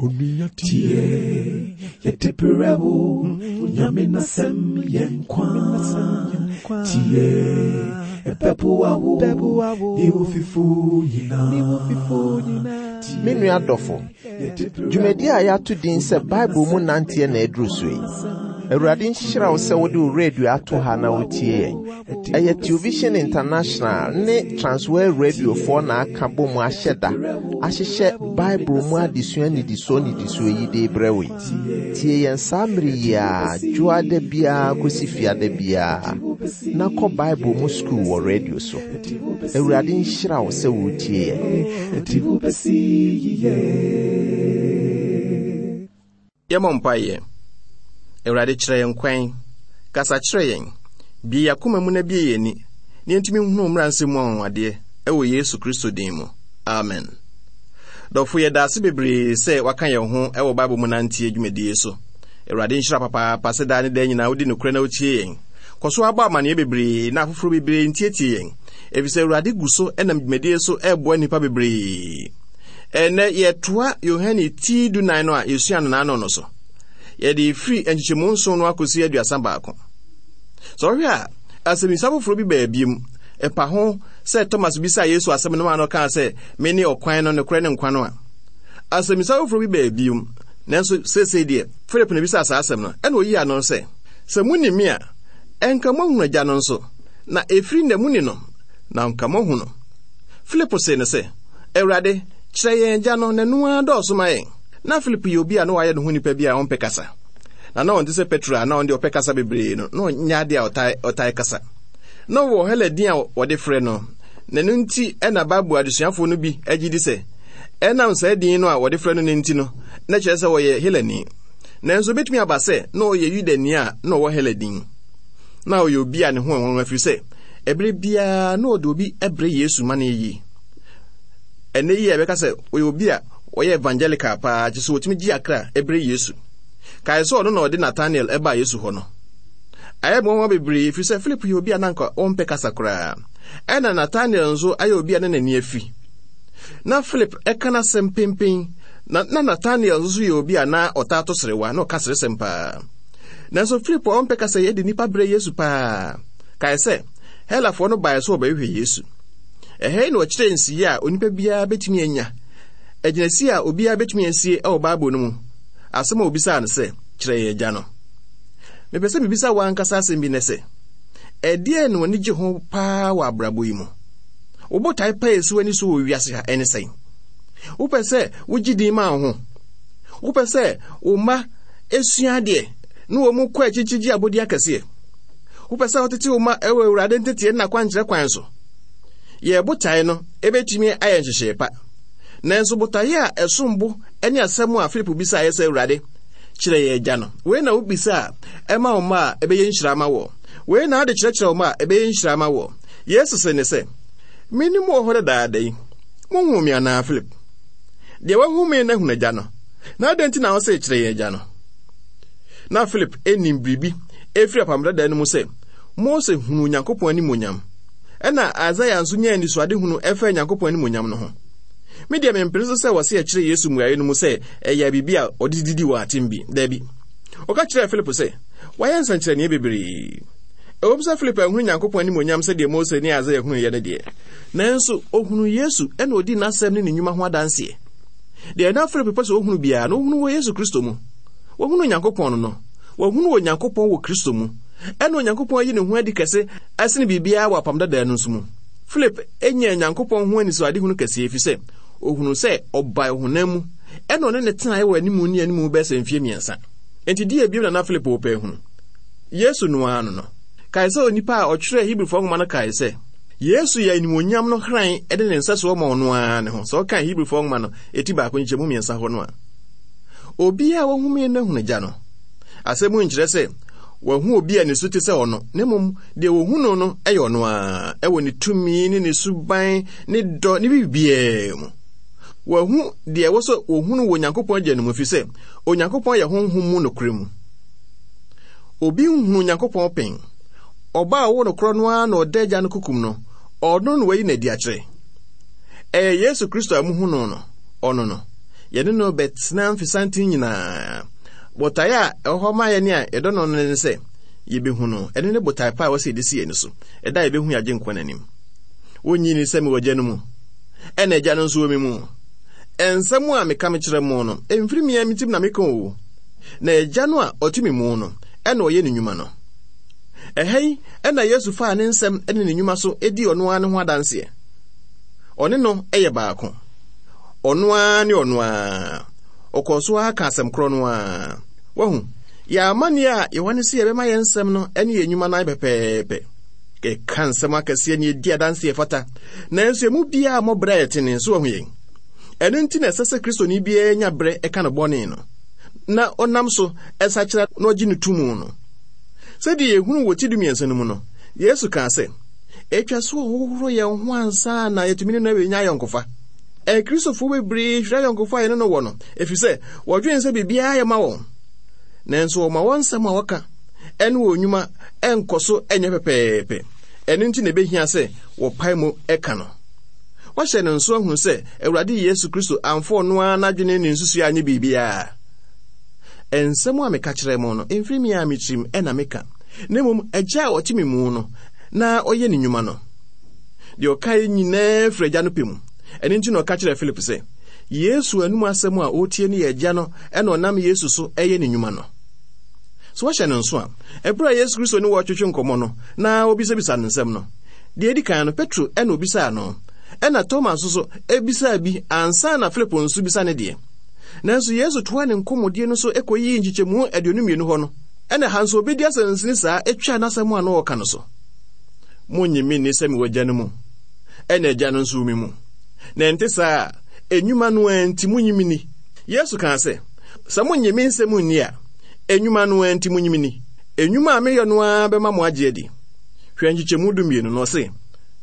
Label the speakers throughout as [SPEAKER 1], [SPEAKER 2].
[SPEAKER 1] Tie, yɛde brɛ wo, Nyame n'asɛm yɛ nkwa. Tie, ɛbɛboa wo, ne wo fifo nyinaa.
[SPEAKER 2] Me nua dɔfo, dwumadi a yɛato din sɛ Bible mu nanteɛ na aduru so yi. Awurade nhyira wo sɛ wode wo radio ato ha na wotie yɛn. Ɛyɛ Television International ne Transworld Radiofoɔ na aka bɔ mu ahyɛ da ahyehyɛ Bible mu adesua nnidisoɔ nnidisoɔ yi de rebrɛ wo yi. Tie yɛn saa mmere yi ara, dwoada biara kɔsi fiada biara, na kɔ Bible mu sukuu wɔ radio so. Awurade nhyira wo sɛ woretie yɛn.
[SPEAKER 3] Yɛmmɔ mpaeɛ. Awurade, kyerɛ yɛn kwan. Kasa kyerɛ yɛn. Bue yɛn akoma mu na bue yɛn ani, na yɛntumi nhunu wo mmara nsɛm mu anwanwadeɛ, ɛwɔ Yesu Kristo din mu. Amen. Dɔfo, yɛda ase bebree sɛ waka yɛn ho wɔ Bible mu nanteɛ dwumadie so. Awurade nhyira papaapa sɛ daa ne daa nyinaa wodi nokorɛ na wotie yɛn. Kɔ so abɔ amanneɛ bebree na afoforɔ bebree ntietie yɛn, efisɛ Awurade gu so nam dwumadie so reboa nnipa bebree. Ɛnnɛ, yɛtoa Yohane ti dunan no a yɛsua no n'ano no so. Yɛde firi nkyekyɛmu nson no akɔsi 31. Sɛ ɔhwɛ a, asɛmmisa foforɔ bi baa biom. Ɛpa ho sɛ Thomas bisaa Yesu asɛm no maa no kaa sɛ, Mene ɔkwan no, nokorɛ ne nkwa no a. Asɛmmisa foforɔ bi baa biom, nanso seesei deɛ, Philip na bisaa saa asɛm no, ɛna ɔyii ano sɛ, Sɛ moni me a, ɛnka moahunu Agya no nso, na ɛfiri nnɛ moni no, na anka moahu no. Filipo see no sɛ, Awurade, kyerɛ yɛn Agya no, na ɛno ara dɔɔso ma yɛn. Ná Filipo yɛ obi a na wayɛ ne ho nipa bi a ɔmpɛ kasa. Na na ɔnte sɛ Petro a na ɔno deɛ ɔpɛ kasa bebree no, na ɔnyɛ ade a ɔtae, ɔtae kasa. Na ɔwɔ Hela din a wɔde frɛ no, na ɛno nti na Bible adesuafoɔ no bi gye di sɛ ɛnam saa din no a wɔde frɛ no no nti no, na kyerɛ sɛ ɔyɛ Helani. Nanso ebetumi aba sɛ na ɔyɛ Yudani a na ɔwɔ Hela din. Na ɔyɛ obi a ne ho yɛ nwanwa ɛfiri sɛ ɛberɛ biara na ɔde obi brɛ Yesu ma no yɛ yie. Ɛnnɛ yi a yɛbɛka sɛ ɔyɛ obi a ɔyɛ evangelical paa, kyerɛ sɛ ɔtumi gye akra brɛ Yesu. Kae sɛ ɔno na ɔde Nathanael baa Yesu hɔ no. Ayɛ nwanwa bebree ɛfiri sɛ Philip yɛ obi a na anka ɔmpɛ kasa koraa. Ɛna Nathanael nso ayɛ obi a na n'ani afi. Na Philip ka n'asɛm penpen, na na Nathanael nso yɛ obi a na ɔtaa to serewa, na ɔka seresɛm paa. Nanso Filipo a ɔmpɛ kasa yi de nnipa brɛ Yesu paa. Kae sɛ, Helafoɔ no baeɛ sɛ wɔbɛhwehwɛ Yesu. Ɛha yi na ɔkyerɛɛ nsiyɛ a onipa biara bɛtumi anya, agyinasie a obiara bɛtumi asie wɔ Bible no mu, asɛm a obisaa no sɛ, Kyerɛ yɛn Agya no. Mepɛ sɛ mebisa wo ankasa asɛm bi nnɛ sɛ, ɛdeɛn na w'ani gye ho paa wɔ abrabɔ yi mu? Wo botae pa a ɛsi w'ani so wɔ wiase ha ɛne sɛn? Wopɛ sɛ wogye din ma wo ho? Wopɛ sɛ wo mma sua adeɛ na wɔn kɔ akyikyi gye abɔdi akɛseɛ? Wopɛ sɛ wotete wo mma wɔ Awurade nteteɛ ne n'akwankyerɛ kwan so? Yɛn botae no ebetumi ayɛ nhyehyɛe pa. Nanso botae a ɛsom bo ne asɛm a Filipo bisaeɛ sɛ, Awurade, kyerɛ yɛn Agya no. Wei na wobisa a, ɛma wo mma a, ɛbɛyɛ nhyira ama wɔ. Wei na wode kyerɛkyerɛ wo mma a, ɛbɛyɛ nhyira ama wɔ. Yesu se ne sɛ, Me ne mo wɔ hɔ dadaada yi, monhuu me anaa, Filip? Deɛ wahu me no ahunu Agya no. Na adɛn nti na wose, Kyerɛ yɛn Agya no? Na Filip nim biribi ɛfiri Apam Dada no mu sɛ Mose hunuu Onyankopɔn animuonyam, ɛna Isaiah nso nyaa anisoadehunu ɛfa Onyankopɔn animuonyam no ho. Me deɛ mempene so sɛ wɔse ɛkyerɛ Yesu mmuaeɛ no mu sɛ ɛyɛ biribi a ɔde didi wɔn atem bi. Dabi. Ɔka kyerɛɛ Filipo sɛ, Wayɛ nsɛnkyerɛnneɛ bebree. Ɛwom sɛ Filipo anhunu Nyankopɔn animuonyam sɛdeɛ Mose ne Isaiah hunuiɛ no deɛ, nanso ɔhunuu Yesu ɛna ɔdii n'asɛm ne ne nnwuma ho adanseɛ. Deɛ na Filipo pɛ sɛ ɔhunu biara no, ɔhunu wɔ Yesu Kristo mu. Wahunu Onyankopɔn no no. Wahunu Onyankopɔn wɔ Kristo mu. Ɛna Onyankopɔn ayi ne ho adi kɛse ɛsene biribiara wɔ Apam Dadaa no nso mu. Philip nyaa Onyankopɔn ho anisoadehunu kɛseɛ ɛfiri sɛ ɔhunuu sɛ ɔbae ɔhonam mu ɛna ɔne ne tenaeɛ wɔ animu ne animu bɛyɛ sɛ mfeɛ mmiɛnsa. Enti deɛ bio na na Philip repɛ ahunu? Yesu no ara no no. Kae sɛ onipa a ɔtwerɛɛ Hebrifoɔ nwoma no kae sɛ, Yesu yɛ animuonyam no hran de ne nsɛsoɔ ma ɔno ara ne ho. Sɛ ɔkan Hebrifoɔ nwoma no eti baako nkyɛmu mmiɛnsa hɔ no a, obiara a wahu me no ahunu Agya no. Asɛm yi nkyerɛ sɛ wahu obi a ne su te sɛ ɔno, na mmom deɛ wɔhu no no yɛ ɔno ara, ɛwɔ ne tumi ne ne suban ne dɔ ne biribiara mu. Wahu deɛ ɛwɔ sɛ wɔhunu wɔ Onyankopɔn Agya no mu, ɛfiri sɛ Onyankopɔn yɛ honhom mu nokorɛ mu. Obi nhunu Onyankopɔn pɛn. Ɔba a ɔwɔ no korɔ no ara na ɔda Agya no kokom no, ɔno na wayi no adi akyerɛ. Ɛyɛ Yesu Kristo a muhu no no, ɔno no. yɛne no bɛtena mfesanten nyinaa. Botae a ɛwɔ hɔ ma yɛn a yɛdɔ no no ne sɛ yebehu no. Ɛno ne botae pa a ɛwɔ sɛ yɛde si yɛn ani so, ɛda a yebehu yɛn Agyenkwa no anim. Wonnye nni sɛ mewɔ Agya no mu, ɛna Agya no nso wɔ me mu. Nsɛm a meka mekyerɛ mo no, emfiri me ara me tirim na meka o, na Agya no a ɔte me mu no na ɔyɛ ne nnwuma no. Ɛha yi na Yesu faa ne nsɛm ne ne nnwuma so dii ɔno ara ne ho adanseɛ. Ɔne no yɛ baako. Ɔno ara ne ɔno ara. Ɔkɔɔ so ara ka asɛm korɔ no ara. Wahu, yɛn amanneɛ a yɛwɔ ne sɛ yɛbɛma yɛn nsɛm no ne yɛn nnwuma no ayɛ pɛpɛɛpɛ. Yɛka nsɛm akɛseɛ ne yɛdi adanseɛ ɛfata, nanso emu biara mmɔ berɛ a yɛtene. So wahu yɛn? Ɛno nti na ɛsɛ sɛ Kristoni biara nya berɛ ɛka no bɔne no, na ɔnam so sakyera na ɔgye no to mu no. Sɛdeɛ yɛhunu wɔ ti dumiɛnsa no mu no, Yesu kaa sɛ, Ɛtwa sɛ ɔhohoro yɛn ho ansa na yɛatumi ne no anya ayɔnkofa. Akristofoɔ bebree hwere ayɔnkofa a yɛne no wɔ no, ɛfiri sɛ wɔdwene sɛ biribiara yɛ ma wɔn. Nanso wɔma wɔn nsɛm a wɔka ne wɔn nnwuma nkɔ so nyɛ pɛpɛɛpɛ. Ɛno nti na ɛbɛhia sɛ wɔpae mu ka no. Wɔahyɛ no nso ahunu sɛ Awurade Yesu Kristo amfa ɔno ara n'adwene ne nsusuiɛ anyɛ biribiara. Nsɛm a meka kyerɛ mo no, ɛmfiri me ara me tirim na meka, na mmom Agya a ɔte me mu no na ɔyɛ ne nnwuma no. Deɛ ɔkaeɛ nyinaa firi Agya no pɛ mu. Ɛno nti na ɔka kyerɛɛ Philip sɛ, Yesu anom asɛm a ɔretie no yɛ Agya no na ɔnam Yesu so yɛ ne nnwuma no. So woahyɛ no nso a, ɛberɛ a Yesu Kristo ne wɔretwetwe nkɔmmɔ no na ɔbisabisa no nsɛm no, deɛ ɛdi kan no, Petro na ɔbisaa no, ɛna Toma nso so bisaa bi ansa na Filipo nso bisa ne deɛ. Nanso Yesu toaa ne nkɔmmɔdie no so kɔyii nkyekyɛmu 22 hɔ no, ɛna ha nso ɔbɛdi asɛnsini saa twaa n'asɛm a na ɔreka no so. Monnye me nni sɛ mewɔ Agya no mu, ɛna Agya no nso wɔ me mu. Na ɛnte saa a, nnwuma no ara nti monnye me nni. Yesu kaa sɛ, Sɛ monnye me nsɛm nni a, nnwuma no ara nti monnye me nni. Nnwuma a meyɔ no ara bɛma mo agye adi. Hwɛ nkyekyɛmu dumienu no, ɔse,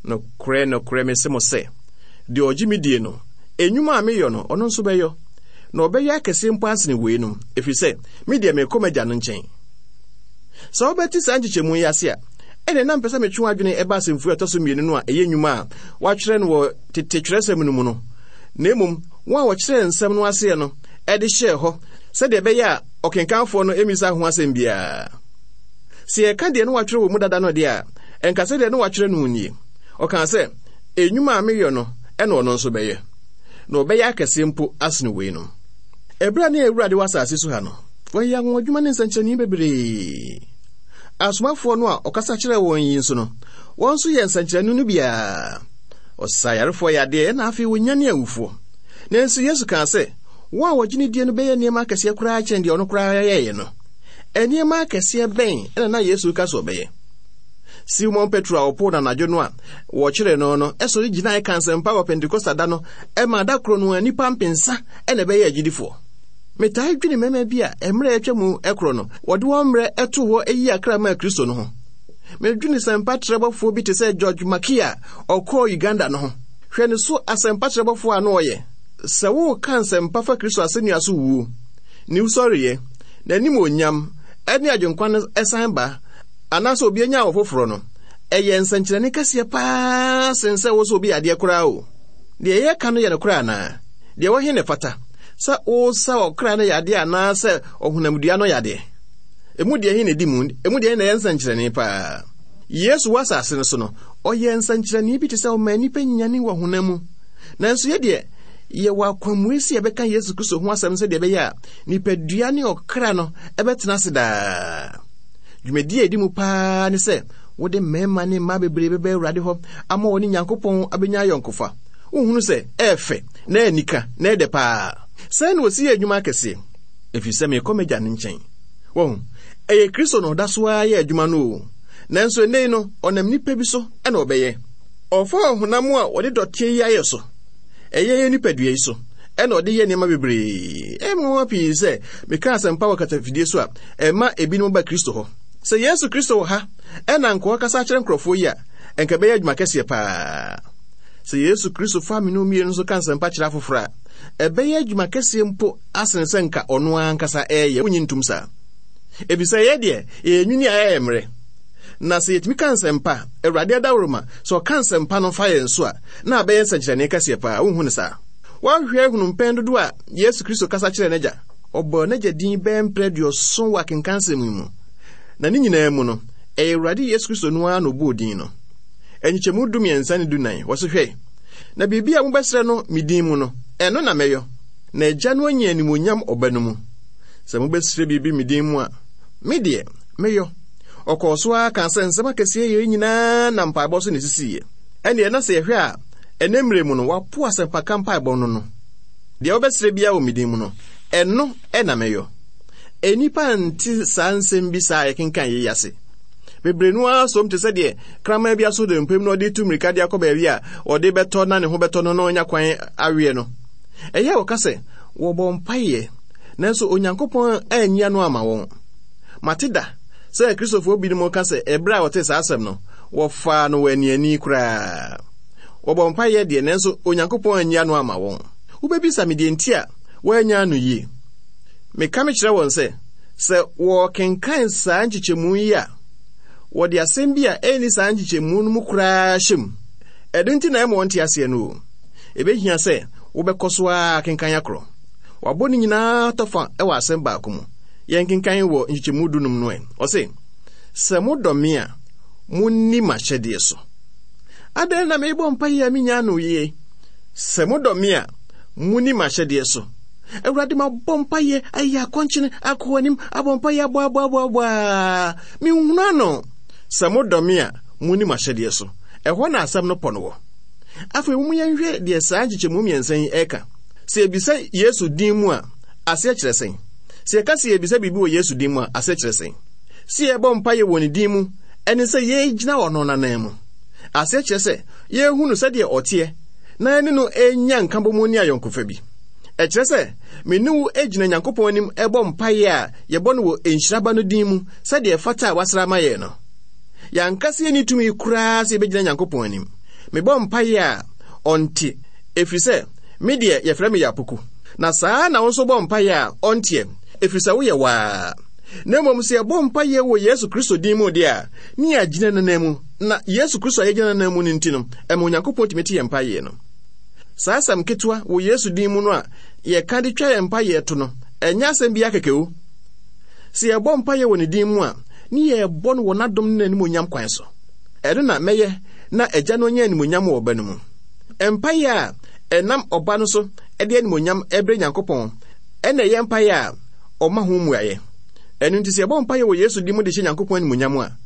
[SPEAKER 3] Nokorɛ, nokorɛ, mese mo sɛ, deɛ ɔgye me die no, nnwuma a meyɔ no, ɔno nso bɛyɔ, na ɔbɛyɛ akɛseɛ mpo asene weinom, ɛfiri sɛ, me deɛ merekɔ m'Agya no nkyɛn. Sɛ wobɛte saa nkyekyɛmu yi ase a, ɛnneɛ na mepɛ sɛ metwe w'adwene ɛba asɛmfua a ɛtɔ so mmienu no a ɛyɛ nnwuma a wɔatwerɛ no wɔ tete twerɛsɛm no mu no, na mmom wɔn a wɔkyerɛɛ nsɛm no aseɛ no de hyɛɛ hɔ sɛdeɛ ɛbɛyɛ a ɔkenkanfoɔ no mmisa ho asɛm biara. Sɛ yɛka deɛ na wɔatwerɛ wɔ mu dada no deɛ a, ɛnka sɛdeɛ na wɔatwerɛ no nie. Ɔkaa sɛ, Nnwuma a meyɔ no na ɔno nso bɛyɛ, na ɔbɛyɛ akɛseɛ mpo asene weinom. Ɛberɛ a na yɛn Awurade wɔ asase so ha no, ɔyɛɛ anwanwadwuma ne nsɛnkyerɛnne bebree. Asomafoɔ no a ɔkasa kyerɛɛ wɔn yi nso no, wɔn nso yɛɛ nsɛnkyerɛnne no biara. Ɔsaa ayarefoɔ yadeɛ na afei ɔnyanee awufoɔ. Nanso Yesu kaa sɛ, wɔn a wɔgye no die no bɛyɛ nneɛma akɛseɛ koraa kyɛn deɛ ɔno koraa yɛeɛ no. Nneɛma akɛseɛ bɛn na na Yesu reka sɛ ɔbɛyɛ? Simon Petro a ɔpoo no anadwo no a wɔkyeree no no sɔre gyinae ka nsɛmpa wɔ Pentekosta da no ma da koro no a nnipa mpensa na ɛbɛyɛɛ agyidifoɔ. Metaa dwene mmarima bi a mmerɛ a atwa mu korɔ no wɔde wɔn mmerɛ too hɔ yii akra maa Kristo no ho. Medwene sɛmpa trɛbɔfoɔ bi te sɛ George Mackey a ɔkɔɔ Uganda no ho. Hwɛ ne so asɛmpa trɛbɔfoɔ a na ɔyɛ. Sɛ woreka nsɛmpa fa Kristo asɛnnua so wuo, ne wusɔreɛ, n'animuonyam, ne Agyenkwa no san ba, anaasɛ obi anya awo foforɔ no, ɛyɛ nsɛnkyerɛnne kɛseɛ paa sen sɛ wo sɛ obi yadeɛ koraa o. Deɛ yɛreka no yɛ nokorɛ anaa? Deɛ ɛwɔ he na ɛfata, sɛ wosa ɔkra no yadeɛ anaasɛ ɔhonamdua no yadeɛ? Emu deɛ he na ɛdi mu? Emu deɛ he na ɛyɛ nsɛnkyerɛnne paa? Yesu wɔ asase no so no, ɔyɛɛ nsɛnkyerɛnne bi te sɛ ɔmaa nnipa nyane wɔ honam mu. Nanso yɛ deɛ, yɛwɔ akwammue sɛ yɛbɛka Yesu Kristo ho asɛm sɛdeɛ ɛbɛyɛ a nipadua ne ɔkra no bɛtena ase daa. Dwumadi a edi mu paa ne sɛ wode mmarima ne mmaa bebree bɛba Awurade hɔ ama wɔne Nyankopɔn abenya ayɔnkofa. Wonhunu sɛ ɛyɛ fɛ na ɛyɛ anika na ɛyɛ dɛ paa? Sɛn na wɔsi yɛ adwuma akɛseɛ? Ɛfiri sɛ merekɔ m'Agya no nkyɛn. Wahu? Ɛyɛ Kristo na ɔda so ara yɛ adwuma no o. Nanso ɛnnɛ yi no, ɔnam nnipa bi so na ɔbɛyɛ. Ɔfa ɔhonam a wɔde dɔteɛ yi ayɛ so, ɛyɛ yɛn nipadua yi so, ɛna ɔde yɛ nneɛma bebree. Ɛyɛ me nwanwa pii sɛ meka asɛmpa wɔ katafidie so a, ɛma ebinom ba Kristo hɔ. Sɛ Yesu Kristo wɔ ha na anka ɔrekasa akyerɛ nkurɔfoɔ yi a, anka ɛbɛyɛ adwuma kɛseɛ paa. Sɛ Yesu Kristo fa me ne wo mmienu nso ka nsɛmpa kyerɛ afoforɔ a, ɛbɛyɛ adwuma kɛseɛ mpo asene sɛ nka ɔno ankasa ɛreyɛ. Wonyi ntom saa? Efisɛ yɛ deɛ, yɛyɛ nwini a ɛyɛ mmerɛ. Na sɛ yɛtumi ka nsɛmpa, Awurade adaworoma, sɛ ɔka nsɛmpa no fa yɛn so a, na abɛyɛ nsɛnkyerɛnne kɛseɛ paa. Wonhu no saa? Woahwɛ ahunu mpɛn dodoɔ a Yesu Kristo kasa kyerɛɛ n'Agya? Ɔbɔɔ n'Agya din bɛyɛ mprɛ aduɔson wɔ akenkansɛm yi mu. Na ne nyinaa mu no, ɛyɛ Awurade Yesu Kristo no ara na ɔbɔɔ din no. Nkyekyɛmu 13 ne 14, wɔse hwɛ, na biribi a mobɛsrɛ no me din mu no, ɛno na mɛyɔ, na Agya no anya animuonyam Ɔba no mu. Sɛ mobɛsrɛ biribi me din mu a, me deɛ, mɛyɔ. Ɔkɔɔ so ara kaa sɛ nsɛm akɛseɛ yei nyinaa nam mpaebɔ so na ɛsisiiɛ. Ɛnneɛ na sɛ yɛhwɛ a, ɛnnɛ mmerɛ mu no, wɔapo asɛmpaka mpaebɔ no no. Deɛ wobɛsrɛ biara wɔ me din mu no, ɛno na mɛyɔ. Nnipa nte saa nsɛm bi saa a yɛkenkan yei ase. Bebree no ara som te sɛ deɛ kraman bi aso dompe mu na ɔde tu mmirika de akɔ baabi a ɔde bɛtɔ na ne ho bɛtɔ no na ɔnya kwan aweɛ no. Ɛyɛ a wɔka sɛ wɔbɔ mpaeɛ, nanso Onyankopɔn anyi ano ama wɔn. Mate da sɛ Akristofoɔ binom ka sɛ ɛberɛ a wɔtee saa asɛm no, wɔfaa no wɔ aniani koraa. Wɔbɔ mpaeɛ deɛ, nanso Onyankopɔn anyi ano ama wɔn. Wobɛbisa me deɛ nti a wɔannya ano yie. Meka mekyerɛ wɔn sɛ, sɛ wɔrekenkan saa nkyekyɛmu yi a, wɔde asɛm bi a ɛnni saa nkyekyɛmu no mu koraa hyɛ mu. Ɛno nti na ɛma wɔnte aseɛ no o. Ɛbɛhia sɛ wobɛkɔ so ara akenkan akorɔ. Wɔabɔ ne nyinaa tɔfa wɔ asɛm baako mu. Yɛnkenkan wɔ nkyekyɛmu dunum no ɛ. Ɔse, Sɛ modɔ me a, monni m'ahyɛdeɛ so. Adɛn na merebɔ mpaeɛ a mennya ano yie? Sɛ modɔ me a, monni m'ahyɛdeɛ so. Awurade, mabɔ mpaeɛ ayɛ akɔnkyene akɔ anim abɔ mpaeɛ abɔ abɔ abɔ abɔ a menhunu ano. Sɛ modɔ me a, monni m'ahyɛdeɛ so. Ɛhɔ na asɛm no pɔ no wɔ. Afei mom yɛnhwɛ deɛ saa nkyekyɛmu mmiɛnsa yi ɛka. Sɛ yɛbisa Yesu din mu a, aseɛ kyerɛ sɛn? Sɛ yɛka sɛ yɛbisa biribi wɔ Yesu din mu a, aseɛ kyerɛ sɛn? Sɛ yɛbɔ mpaeɛ wɔ ne din mu, ɛne sɛ yɛgyina ɔno n'anan mu. Aseɛ kyerɛ sɛ yɛrehu no sɛdeɛ ɔteɛ na yɛne no renya nkabɔmu ne ayɔnkofa bi. Ɛkyerɛ sɛ me ne wo gyina Nyankopɔn anim rebɔ mpaeɛ a yɛbɔ no wɔ nhyira Ba no din mu sɛdeɛ ɛfata a wasra ama yɛn no. Yɛn ankasa yɛnni tumi koraa sɛ yɛbɛgyina Nyankopɔn anim. Mebɔ mpaeɛ a, ɔnte, ɛfiri sɛ me deɛ yɛfrɛ me Yapoku. Na saa ara na wo nso bɔ mpaeɛ a, ɔnteɛ, ɛfiri sɛ woyɛ waa. Na mmom sɛ yɛbɔ mpaeɛ wɔ Yesu Kristo din mu deɛ a, ne yɛagyina n'anan mu, na Yesu Kristo a yɛgyina n'anan mu no nti no, ɛma Onyankopɔn tumi te yɛn mpaeɛ no. Saa asɛm ketewa wɔ Yesu din mu no a yɛka de twa yɛn mpaeɛ to no, ɛnyɛ asɛm biara kɛkɛ o. Sɛ yɛbɔ mpaeɛ wɔ ne din mu a, ne yɛrebɔ no wɔ n'adom ne n'animuonyam kwan so. Ɛno na mɛyɛ na Agya no anya animuonyam wɔ Ɔba no mu. Mpaeɛ a ɛnam Ɔba no so de animuonyam brɛ Nyankopɔn na ɛyɛ mpaeɛ a ɔma ho mmuaeɛ. Ɛno nti sɛ yɛbɔ mpaeɛ wɔ Yesu din mu de hyɛ Nyankopɔn animuonyam a,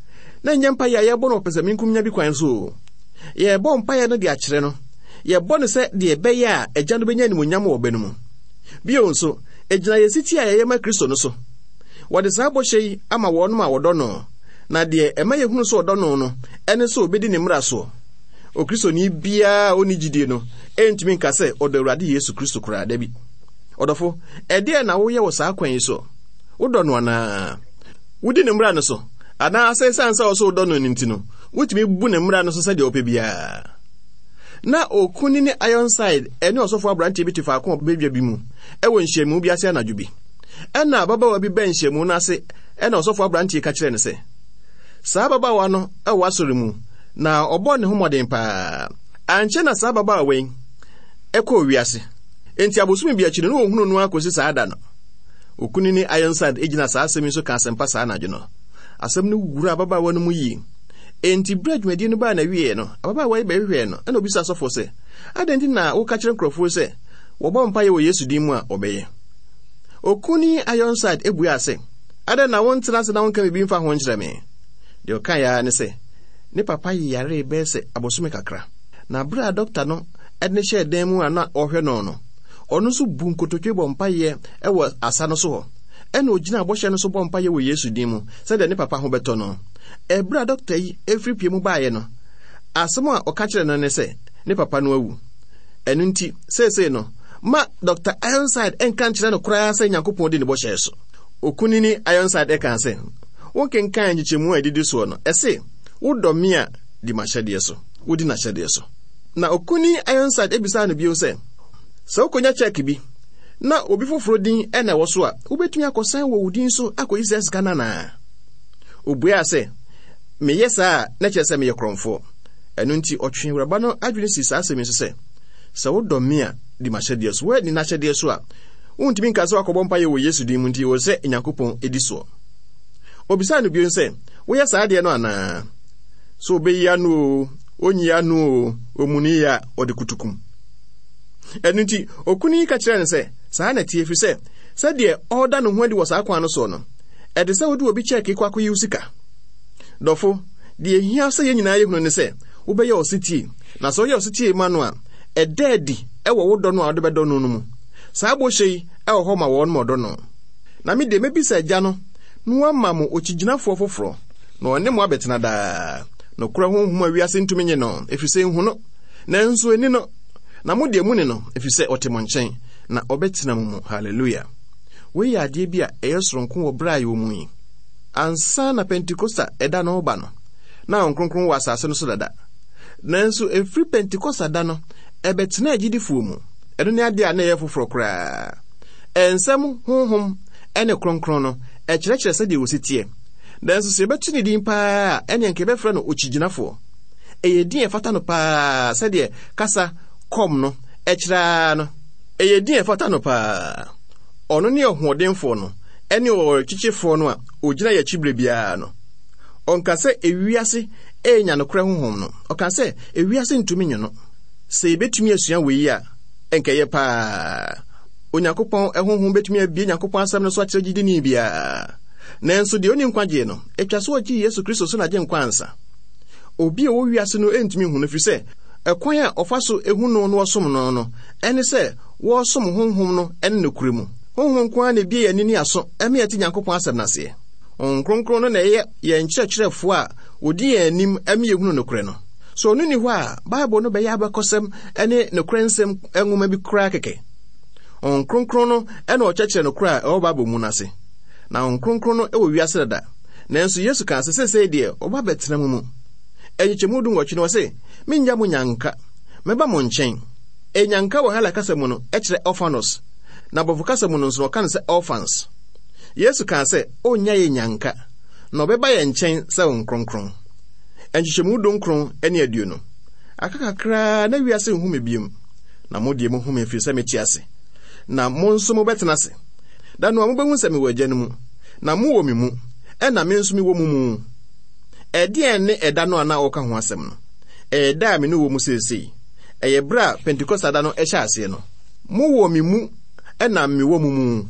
[SPEAKER 3] na ɛnyɛ mpaeɛ a yɛrebɔ no wɔ pɛsɛmenkominya bi kwan so o. Yɛrebɔ mpaeɛ no de akyerɛ no. Yɛbɔ no sɛ deɛ ɛbɛyɛ a Agya no bɛnya animuonyam wɔ Ɔba no mu. Bio nso, ɛgyina yɛn setie a yɛyɛ ma Kristo no so. Wɔde saa bɔhyɛ yi ama wɔnom a wɔdɔ no, na deɛ ɛma yɛhunu sɛ ɔdɔ no no ne sɛ ɔbɛdi ne mmara soɔ. Okristoni biara a ɔnni gyidie no ntumi nka sɛ ɔdɔ Awurade Yesu Kristo koraa, dabi. Ɔdɔfo, ɛdeɛn na woyɛ wɔ saa kwan yi so? Wodɔ no anaa? Wodi ne mmara no so? Anaasɛ ɛsiane sɛ ɔsɛ wodɔ no no nti no, wotumi bu ne mmara no so sɛdeɛ wopɛ biara? Na Okunini Ironside ne ɔsɔfo aberanteɛ bi te faako a badwa bi mu wɔ nhyiamu bi ase anadwo bi. Ɛnna ababaawa bi bɛn nhyiamu no ase ɛnna ɔsɔfo aberanteɛ ka kyerɛɛ no sɛ, saa ababaawa no wɔ asɔre mu na ɔbɔ ne ho mmɔden paa. Ankyɛ na saa ababaawa yi kɔɔ wiase. Enti abosome bi akyi no, na wɔhunu no ara kɔsi saa da no. Okunini Ironside gyina saa asɛm yi so ka asɛmpa saa anadwo no. Asɛm no wura ababaawa no mu yie. Enti bere a dwumadie no baa n'awieeɛ no, ababaawa yi bɛhwehwɛɛ no ɛna obisaa sɔfoɔ sɛ, Adɛn nti na woka kyerɛ nkurɔfoɔ sɛ wɔbɔ mpaeɛ wɔ Yesu din mu a wɔbɛyɛ? Okunini Ironside buaa sɛ, Adɛn na wontena ase na wonka biribi mfa ho nkyerɛ me? Deɛ ɔkaeɛ ara ne sɛ, ne papa yaree bɛyɛ sɛ abosome kakra. Na bere a dɔkta no de no hyɛɛ dan mu a na ɔrehwɛ no no, ɔno nso bu nkotodwe bɔ mpaeɛ wɔ asa no so hɔ. Ɛnna ogyinaa bɔhyɛ no so bɔ mpaeɛ wɔ Yesu din mu sɛdeɛ ne papa ho bɛtɔ no. Ɛberɛ a dɔkta yi firi pie mu baeɛ no, asɛm a ɔka kyerɛɛ no ne sɛ ne papa no awu. Ɛno nti, seesei no, ma Dɔkta Ironside nka nkyerɛ no koraa sɛ Nyankopɔn di ne bɔhyɛ so. Okunini Ironside kaa sɛ, Wonkenkan nkyekyɛmu a ɛdidi soɔ no, ɛse, 'Wodɔ me a, di m'ahyɛdeɛ so. Wodi n'ahyɛdeɛ so. Na Okunini Ironside bisaa no bio sɛ, Sɛ wokonya kyɛk bi, na obi foforɔ din na ɛwɔ so a, wobɛtumi akɔsan wɔ wo din so akɔyi saa sika no anaa? Obuaa sɛ, Meyɛ saa a, na kyerɛ sɛ meyɛ korɔmfoɔ. Ɛno nti, ɔtwee awuraba no adwene sii saa asɛm yi so sɛ, Sɛ wodɔ me a, di m'ahyɛdeɛ so. Woanni n'ahyɛdeɛ so a, wontumi nka sɛ woakɔbɔ mpaeɛ wɔ Yesu din mu nti ɛwɔ sɛ Nyankopɔn di soɔ. Obisaa no bio sɛ, Woyɛ saa adeɛ no anaa? So obeyi ano o, onyi ano o, omuni yɛ a, ɔde kutukum. Ɛno nti, okunu yi ka kyerɛɛ no sɛ, Saa na ɛteɛ, ɛfiri sɛ, sɛdeɛ ɔreda ne ho adi wɔ saa kwan no soɔ no, ɛte sɛ wode obi kyɛɛke kɔ akɔyi wo sika. Dɔfo, deɛ ɛhia sɛ yɛn nyinaa yɛhunu ne sɛ, wobɛyɛ ɔsetie, na sɛ woyɛ ɔsetie ma no a, ɛda adi wɔ wo dɔ no a wode bɛdɔ no no mu. Saa bɔhyɛ yi wɔ hɔ ma wɔn ma ɔdɔ no. Na me deɛ, mɛbisa Agya no na wama mo okyigyinafoɔ foforɔ, na ɔne mo abɛtena daa. Nokorɛ Honhom a wiase ntumi nye no, ɛfiri sɛ nhu no, nanso ɛni no. Na mo deɛ muni no, ɛfiri sɛ ɔte mo nkyɛn, na ɔbɛtena mo mu. Hallelujah! Wei yɛ adeɛ bi a ɛyɛ soronko wɔ berɛ a yɛwɔ mu yi. Ansa na Pentekosta ɛda no reba no, na Honhom Kronkron wɔ asase no so dada. Nanso ɛfiri Pentekosta da no, ɛbɛtenaa agyidifoɔ mu. Ɛno ne adeɛ a na ɛyɛ foforɔ koraa. Nsɛm honhom ne kronkron no, ɛkyerɛkyerɛ sɛdeɛ wɔsi teɛ. Nanso sɛ yɛbɛto ne din paa a, ɛneɛ nka yɛbɛfrɛ no okyigyinafoɔ. Ɛyɛ din a ɛfata no paa sɛdeɛ kasa kɔm no ɛkyerɛ ara no. Ɛyɛ din a ɛfata no paa. Ɔno ne ɔhoɔdenfoɔ no ne ɔwerɛkyekyefoɔ no a ɔgyina yɛn akyi berɛ biara no. Ɔnka sɛ ewiase renya nokorɛ honhom no, ɔka sɛ ewiase ntumi nye no. Sɛ yɛbɛtumi asua wei a, ɛnka ɛyɛ paa. Onyankopɔn honhom bɛtumi abue Nyankopɔn asɛm no so akyerɛ gyidini biara. Nanso deɛ ɔnni nkwagyeɛ no, ɛtwa sɛ ɔgye Yesu Kristo so n'Agyenkwa ansa. Obi a ɔwɔ wiase no ntumi nhu no ɛfiri sɛ ɛkwan a ɔfa so hu no na ɔsom no no ne sɛ wɔresom Honhom no ne nokorɛ mu. Honhom nko ara na ebue yɛn ani ne aso ma yɛte Nyankopɔn asɛm no aseɛ. Honhom Kronkron no na ɛyɛ yɛn kyerɛkyerɛfoɔ a ɔdi yɛn anim ma yɛhunu nokorɛ no. Sɛ ɔno nni hɔ a, Bible no bɛyɛ abakɔsɛm ne nokorɛ nsɛm nwoma bi koraa kɛkɛ. Honhom Kronkron no na ɔkyerɛkyerɛ nokorɛ a ɛwɔ Bible mu no ase. Na Honhom Kronkron no wɔ wiase dada, nanso Yesu kaa sɛ seesei deɛ ɔba bɛtena mo mu. Nkyekyɛmu dunwɔtwe no ɔse, Mennya mo nyanka, mɛba mo nkyɛn. Enyanka wɔ Hela kasa mu no kyerɛ orphanos, na Borɔfo kasa mu no nso wɔka no sɛ orphans. Yesu kaa sɛ ɔnnya yɛn nyanka, na ɔbɛba yɛn nkyɛn sɛ Honhom Kronkron. Nkyekyɛmu dunkron ne aduonu. Aka kakraa na wiase nhu me biom, na mo deɛ mohu me ɛfiri sɛ mete ase, na mo nso mobɛtena ase. Da no a mobɛhu sɛ mewɔ Agya no mu, na mowɔ me mu, ɛna me nso mewɔ mo mu. Ɛdeɛn ne ɛda no a na ɔreka ho asɛm no? Ɛyɛ da a me ne wɔ mu seesei. Ɛyɛ berɛ a Pentekoste da no hyɛ aseɛ no. Mowɔ me mu ɛna mewɔ mo mu.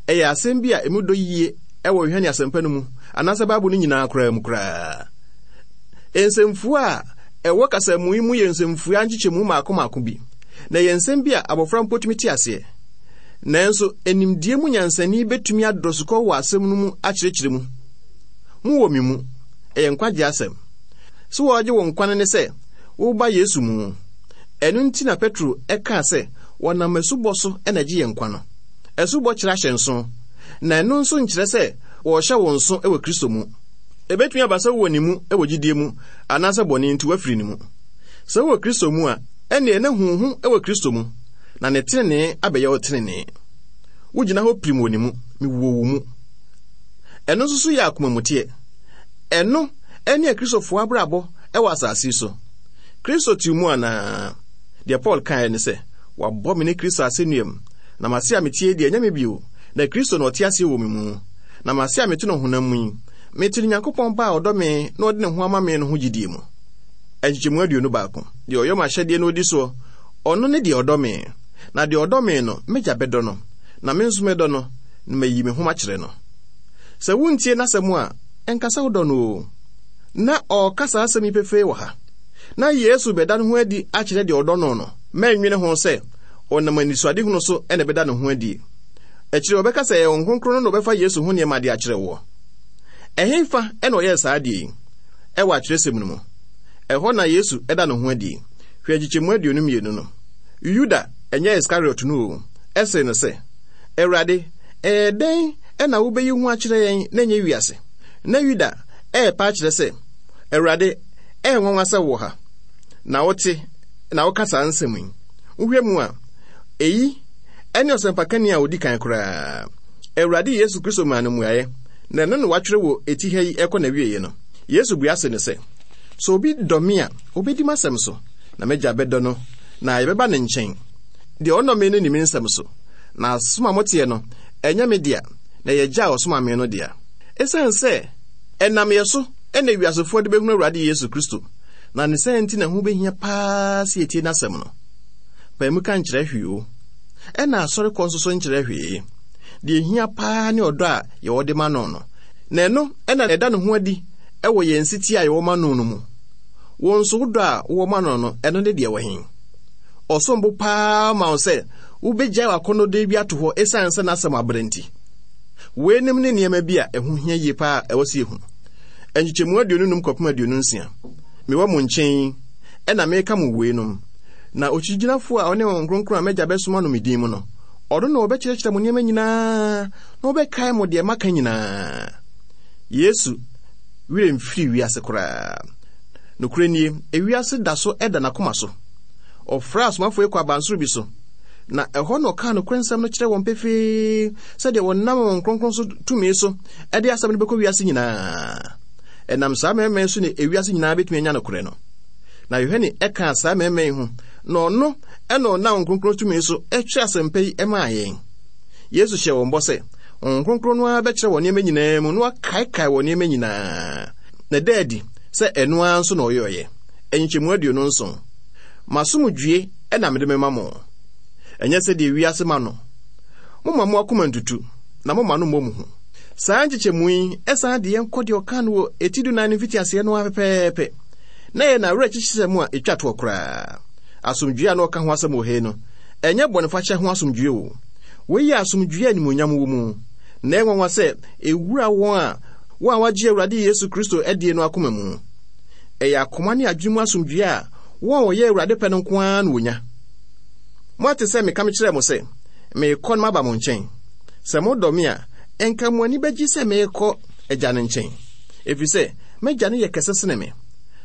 [SPEAKER 3] Ɛyɛ asɛm bi a emu dɔ yie wɔ Yohane Asɛmpa no mu, anaasɛ Bible no nyinaa koraa mu koraa. Nsɛmfua a ɛwɔ kasamu yi mu yɛ nsɛmfua nkyekyɛmu mmaako mmaako bi, na ɛyɛ nsɛm bi a abɔfra mpo tumi te aseɛ. Nanso, nimdeɛ mu nyansani betumi adɔ sukɔ wɔ asɛm no mu akyerɛkyerɛ mu. Mowɔ me mu. Ɛyɛ nkwagye asɛm. So wɔregye wo nkwa no ne sɛ woreba Yesu mu. Ɛno nti na Petro kaa sɛ wɔnam asubɔ so na ɛgye yɛn nkwa no. Asubɔ kyerɛ ahyɛnso, na ɛno nso nkyerɛ sɛ wɔrehyɛ wo nso wɔ Kristo mu. Ebetumi aba sɛ wowɔ ne mu wɔ gyidie mu anaasɛ bɔne nti woafiri ne mu. Sɛ wowɔ Kristo mu a, ɛnneɛ na hu wo ho wɔ Kristo mu, na ne tenenee abɛyɛ wo tenenee. Wogyina hɔ pirim wɔ ne mu, mewɔ wo mu. Ɛno nso so yɛ akomamuteɛ. Ɛno ne Akristofoɔ abrabɔ wɔ asase yi so. Kristo te wo mu anaa? Deɛ Paul kaeɛ ne sɛ, Wɔabɔ me ne Kristo asɛnnua mu, na m'ase a meteɛ yi deɛ, ɛnyɛ me bio, na Kristo na ɔte aseɛ wɔ me mu. Na m'ase a mete no honam mu yi, mete no Nyankopɔn Ba a ɔdɔ me na ɔde ne ho ama me no ho gyidie mu. Nkyekyɛmu 21. Deɛ ɔyɔ m'ahyɛdeɛ na ɔdi soɔ, ɔno ne deɛ ɔdɔ me. Na deɛ ɔdɔ me no, m'Agya bɛdɔ no, na me nso mɛdɔ no, na mayi me ho makyerɛ no. Sɛ wontie n'asɛm a, ɛnka sɛ wodɔ no oo. Ná ɔreka saa asɛm yi pefee wɔ ha. Ná Yesu rebɛda ne ho adi akyerɛ deɛ ɔdɔ no no. Mɛnnwene ho sɛ ɔnam anisoadehunu so na ɛbɛda ne ho adi. Akyiri ɔbɛka sɛ ɛyɛ Honhom Kronkron no na ɔbɛfa Yesu ho nneɛma de akyerɛ woɔ. Ɛhefa na ɔyɛɛ saa adeɛ yi? Ɛwɔ atwerɛsɛm no mu. Ɛhɔ na Yesu da ne ho adi. Hwɛ nkyekyɛmu 22 no. Yuda, ɛnyɛ Iskariot no o, see no sɛ, Awurade, ɛyɛ dɛn na wobɛyi ho akyerɛ yɛn na ɛnyɛ wiase? Na Yuda ɛrepa akyerɛ sɛ, Awurade, ɛyɛ nwanwa sɛ wowɔ ha, na wote na woka saa nsɛm yi. Wohwɛ mu a, eyi ne ɔsɛmpakani a odi kan koraa. Awurade Yesu Kristo maa no mmuaeɛ, na ɛno na wɔatwerɛ wɔ eti ha yi ɛkɔ n'awieeɛ no. Yesu bua se no sɛ, Sɛ obi dɔ me a, obedi m'asɛm so, na m'Agya bɛdɔ no, na yɛbɛba ne nkyɛn. Deɛ ɔnnɔ me no nni me nsɛm so, na asɛm a moteɛ no, ɛnyɛ me dea, na ɛyɛ Agya a ɔsomaa me no dea. Esiane sɛ ɛnam yɛn so na wiasefoɔ de bɛhunu Awurade Yesu Kristo, na ne saa nti na ɛho bɛhia paa sɛ yɛtie n'asɛm no. Pae mu ka nkyerɛ hwee o, ɛna asɔrekɔ nso so nkyerɛ hwee. Deɛ ɛhia paa ne ɔdɔ a yɛwɔ de ma no no, na ɛno na ɛda ne ho adi wɔ yɛn setie a yɛwɔ ma no no mu. Wo nso wo dɔ a wowɔ ma no no, ɛno ne deɛ wɔ he? Ɔsom bo paa ma wo sɛ wobɛgyae w'akɔnnɔdeɛ bi ato hɔ esiane sɛ n'asɛm abrɛ nti. Weinom ne nneɛma bi a ɛho hia yie paa a ɛwɔ sɛ yɛhu. Nkyekyɛmu 25 kɔpem 26. Mewɔ mo nkyɛn yi, ɛna meka mo weinom. Na okyigyinafoɔ a ɔne Honhom Kronkron a m'Agya bɛsoma no me din mu no, ɔno na ɔbɛkyerɛkyerɛ mo nneɛma nyinaa na ɔbɛkae mo deɛ maka nyinaa. Yesu werɛ mfiri wiase koraa. Nokorɛ nie, ewiase da so da n'akoma so. Ɔfrɛɛ asomafoɔ yi kɔɔ abansoro bi so, na ɛhɔ na ɔkaa nokorɛ nsɛm no kyerɛɛ wɔn pefee sɛdeɛ wɔnam Honhom Kronkron so tumi so de asɛm no bɛkɔ wiase nyinaa. Ɛnam saa mmarima yi so na ewiase nyinaa bɛtumi anya nokorɛ no. Na Yohane kaa saa mmarima yi ho, na ɔno na ɔnam Honhom Kronkron tumi so twerɛ asɛmpa yi maa yɛn. Yesu hyɛɛ wɔn bɔ sɛ, Honhom Kronkron no ara bɛkyerɛ wɔn nneɛma nyinaa mu na wakaekae wɔn nneɛma nyinaa. Na ɛda adi sɛ ɛno ara nso na ɔyɔeɛ. Nkyekyɛmu 27. M'asomdwoe na mede mema mo. Ɛnyɛ sɛdeɛ wiase ma no. Momma mo akoma ntutu, na momma no mmɔ mo hu. Saa nkyekyɛmu yi san de yɛn kɔ deɛ ɔkaa no wɔ eti dunan no mfitiaseɛ no ara pɛpɛɛpɛ. Na ɛyɛ n'awerɛkyekyesɛm a etwa toɔ koraa. Asomdwoe a na ɔka ho asɛm wɔ ha yi no, ɛnyɛ bɔnefakyɛ ho asomdwoe o. Wei yɛ asomdwoe a animuonyam wɔ mu, na ɛyɛ nwanwa sɛ ewura wɔn a wɔn a wɔagye Awurade Yesu Kristo adie no akoma mu. Ɛyɛ akoma ne adwene mu asomdwoe a wɔn a wɔyɛ Awurade pɛ no nko ara na wɔnya. Moate sɛ meka mekyerɛɛ mo sɛ, merekɔ na maba mo nkyɛn. Sɛ modɔ me a, ɛnka mo ani bɛgye sɛ merekɔ Agya no nkyɛn, ɛfiri sɛ m'Agya no yɛ kɛse sene me.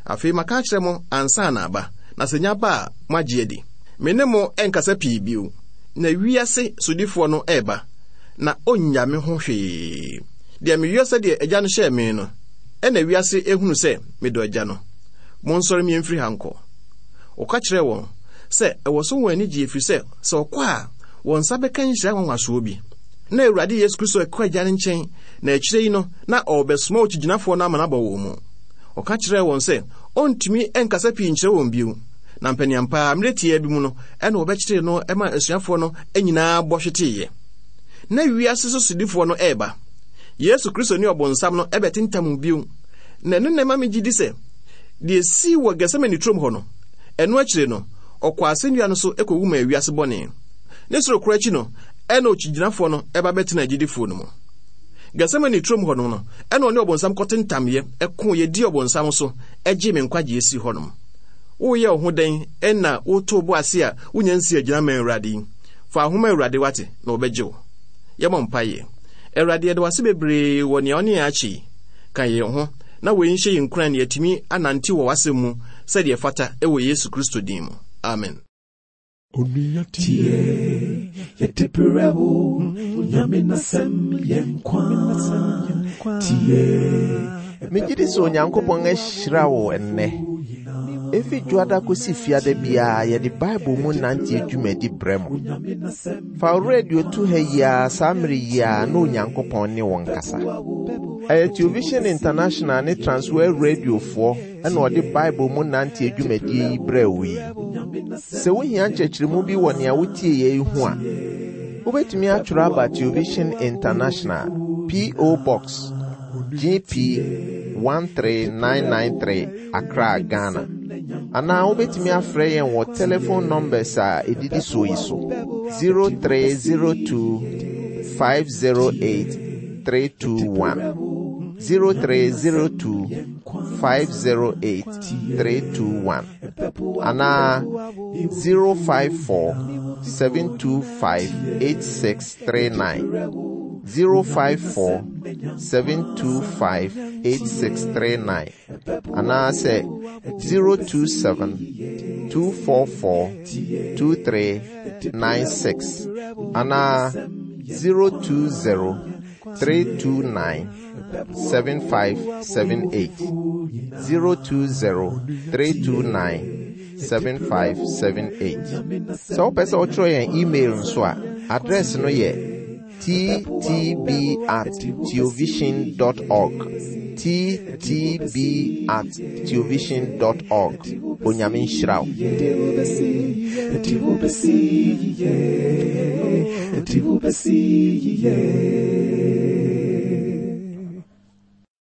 [SPEAKER 3] Afei maka akyerɛ mo ansa na aba, na sɛ nya ba a, moagye adi. Me ne mo renkasa pii bio, na wiase sodifoɔ no reba, na ɔnnya me ho hwee. Deɛ meyɔ sɛdeɛ Agya no hyɛɛ me no, ɛnna wiase hunu sɛ medɔ Agya no. Monsɔre mmie mfiri ha nkɔ. Ɔka kyerɛɛ wɔn sɛ ɛwɔ sɛ wɔn ani gye ɛfiri sɛ, sɛ ɔkɔ a, wɔn nsa bɛka nhyira nwanwasoɔ bi. Na Awurade Yesu Kristo rekɔ Agya no nkyɛn, na akyire yi no, na ɔrebɛsoma okyigyinafoɔ no ama no abɔ wɔn mu. Ɔka kyerɛɛ wɔn sɛ ɔntumi nkasa pii nkyerɛ wɔn bio, na mpaniampa ara, mmerɛ tiaa bi mu no, ɛna wɔbɛkyeree no ma asuafoɔ no nyinaa bɔ hweteeɛ. Na wiase so sodifoɔ no reba. Yesu Kristo ne ɔbonsam no bɛtentam bio, na ɛno na ɛma megye di sɛ deɛ ɛsii wɔ Getsemane turom hɔ no, ɛno akyire no, ɔkɔɔ asɛnnua no so kɔwu maa wiase bɔne. Ne soro korɔ akyi no, ɛna okyigyinafoɔ no ba bɛtenaa agyidifoɔ no mu. Getsemane turom hɔ no, ɛna ɔne ɔbonsam kɔtentamyɛ, ɛkoeɛ, dii ɔbonsam so, gyee me nkwagyeɛ sii hɔnom. Woreyɛ wo ho dɛn na woto wo bo ase a wonya nsii agyina mmaa Awurade yi? Fa wo ho ma Awurade wate, na ɔbɛgye wo. Yɛmmɔ mpaeɛ. Awurade, yɛda wo ase bebree wɔ nea wo ne yɛn akyɛ yi. Ka yɛn ho na wei nhyɛ yɛn nkuran na yɛatumi anante wɔ w'asɛm mu sɛdeɛ ɛfata wɔ Yesu Kristo din mu. Amen.
[SPEAKER 1] Onua tie, yɛde brɛ wo, Onyame n'asɛm yɛ nkwa. Tie.
[SPEAKER 2] Megye di sɛ Onyankopɔn ahyira wo ɛnnɛ. Efi Dwoada kosi Fiada biara yɛde Bible mu nante dwumadi brɛ mo. Fa wo radio to ha yi ara saa mmere yi ara na Onyankopɔn ne wo nkasa. Ɛyɛ Television International ne Transworld Radiofoɔ na ɔde Bible mu nante dwumadie yi brɛɛ wo yi. Sɛ wohia nkyerɛkyerɛmu bi wɔ nea wotieeɛ yi ho a, wobɛtumi atwerɛ aba Television International, P.O. Box, GP 13993, Accra, Ghana. Anaa wobɛtumi afrɛ yɛn wɔ telephone numbers a ɛdidi soɔ yi so 0302 508 321 0302 508 321 anaa 054 725 8639 054 725 8639 anaasɛ 027 244 2396 anaa 020 329 7578 020 329 7578. Sɛ wopɛ sɛ wotwerɛ yɛn email nso a, address no yɛ ttb at theovision dot org. ttb at theovision dot org. Onyame nhyira wo.